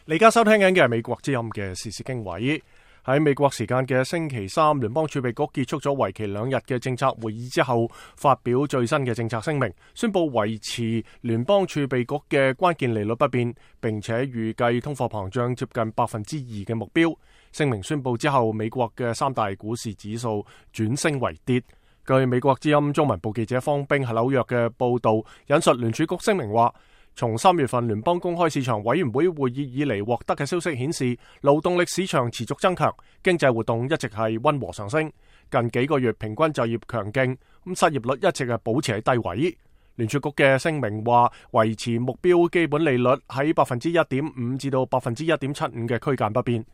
你而家收聽緊嘅係美國之音嘅時事經緯。喺美國時間嘅星期三，聯邦儲備局結束咗為期2日嘅政策會議之後，發表最新嘅政策聲明，宣布維持聯邦儲備局嘅關鍵利率不變，並且預計通貨膨脹接近 2% 嘅目標。聲明宣布之後，美國嘅3大股市指數轉升為跌。據美國之音中文部記者方冰喺紐約嘅報道，引述聯儲局聲明話，從3月份聯邦公開市場委員會會議以嚟獲得嘅消息顯示，勞動力市場持續增強，經濟活動一直係溫和上升。近幾個月平均就業強勁，失業率一直係保持喺低位。聯儲局嘅聲明話，維持目標基本利率喺 1.5% 至到 1.75% 嘅區間不變。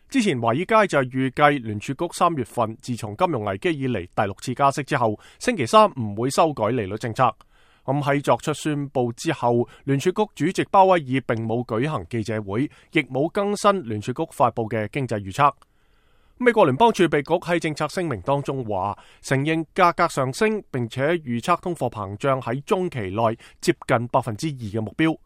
之前華爾街就預計聯儲局3月份自從金融危機以嚟第6次加息之後，星期三唔會修改利率政策。咁喺作出宣布之後，聯儲局主席鮑威爾並冇舉行記者會，亦冇更新聯儲局發布嘅經濟預測。美國聯邦儲備局喺政策聲明當中話，承認價格上升，並且預測通貨膨脹喺中期內接近 2% 嘅目標。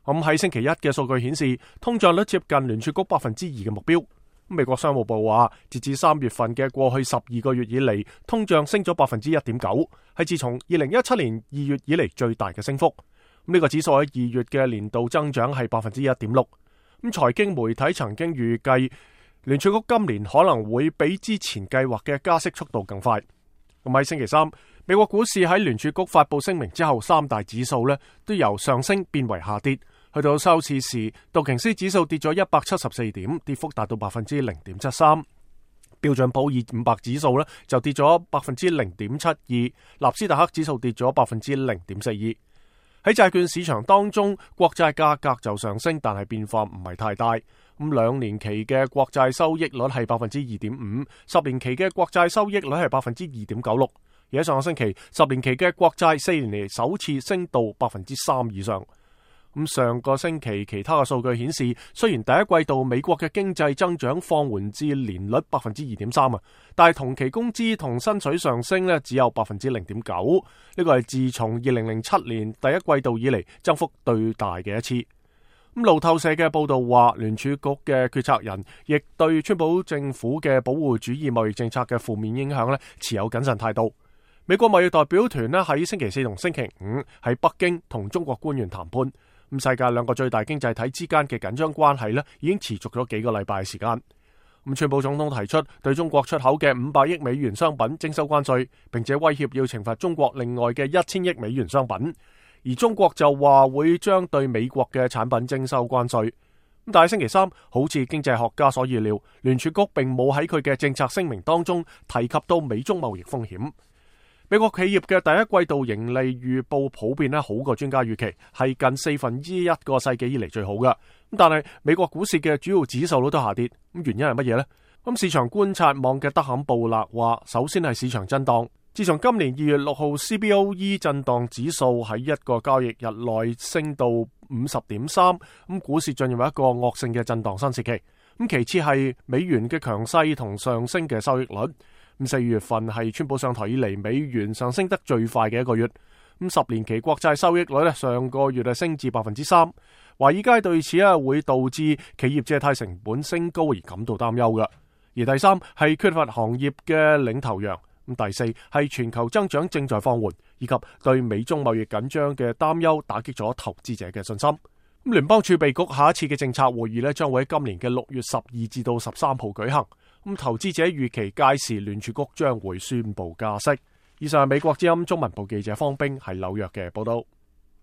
咁喺星期一嘅數據顯示，通脹率接近聯儲局 2% 嘅目標。美國商務部話，截至3月份嘅過去12個月以嚟，通脹升咗 1.9%， 係自從2017年2月以嚟最大嘅升幅。呢個指數喺2月嘅年度增長係 1.6%。財經媒體曾經預計聯儲局今年可能會比之前計劃嘅加息速度更快。咁喺星期三，美國股市喺聯儲局發布聲明之後，3大指數都由上升變為下跌。去到收市時，道瓊斯指數跌咗174點，跌幅達到 0.73%。標準普爾500指數就跌咗 0.72%， 納斯達克指數跌咗 0.42%。喺債券市場當中，國債價格就上升，但係變化唔係太大。2年期嘅國債收益率係 2.5%， 10年期嘅國債收益率係 2.96%。而喺上個星期，10年期嘅國債4年嚟首次升到 3% 以上。上個星期其他嘅數據顯示，雖然第一季度美國嘅經濟增長放緩至年率 2.3%， 但係同期工資同薪水上升只有 0.9%， 呢個係自從2007年第一季度以嚟增幅最大嘅一次。路透社嘅報道話，聯儲局嘅決策人亦對川普政府嘅保護主義貿易政策嘅負面影響持有謹慎態度。美國貿易代表團喺星期四同星期五喺北京同中國官員談判。世界2個最大經濟體之間嘅緊張關係已經持續咗幾個禮拜嘅時間。川普總統提出對中國出口嘅500億美元商品徵收關稅，並且威脅要懲罰中國另外嘅1000億美元商品。而中國就話會將對美國嘅產品徵收關稅。但係星期三，好似經濟學家所預料，聯儲局並冇喺佢嘅政策聲明當中提及到美中貿易風險。美國企業嘅第一季度盈利預報普遍好過專家預期，係近1/4個世紀以嚟最好嘅。但係美國股市嘅主要指數都下跌，原因係乜嘢呢？市場觀察網嘅德坎布勒話，首先係市場震盪。自從今年2月6號 CBOE 震盪指數喺一個交易日內升到 50.3， 股市進入一個惡性嘅震盪新時期。其次係美元嘅強勢同上升嘅收益率。4月份係川普上台以嚟美元上升得最快嘅一個月。10年期國債收益率上個月升至 3%。華爾街對此會導致企業借貸成本升高而感到擔憂嘅。而第三係缺乏行業嘅領頭羊。第四係全球增長正在放緩，以及對美中貿易緊張嘅擔憂打擊咗投資者嘅信心。聯邦儲備局下一次嘅政策會議將會喺今年嘅6月12至到13號舉行。投資者預期屆時聯儲局將會宣布加息。以上係美國之音中文部記者方冰喺紐約嘅報道。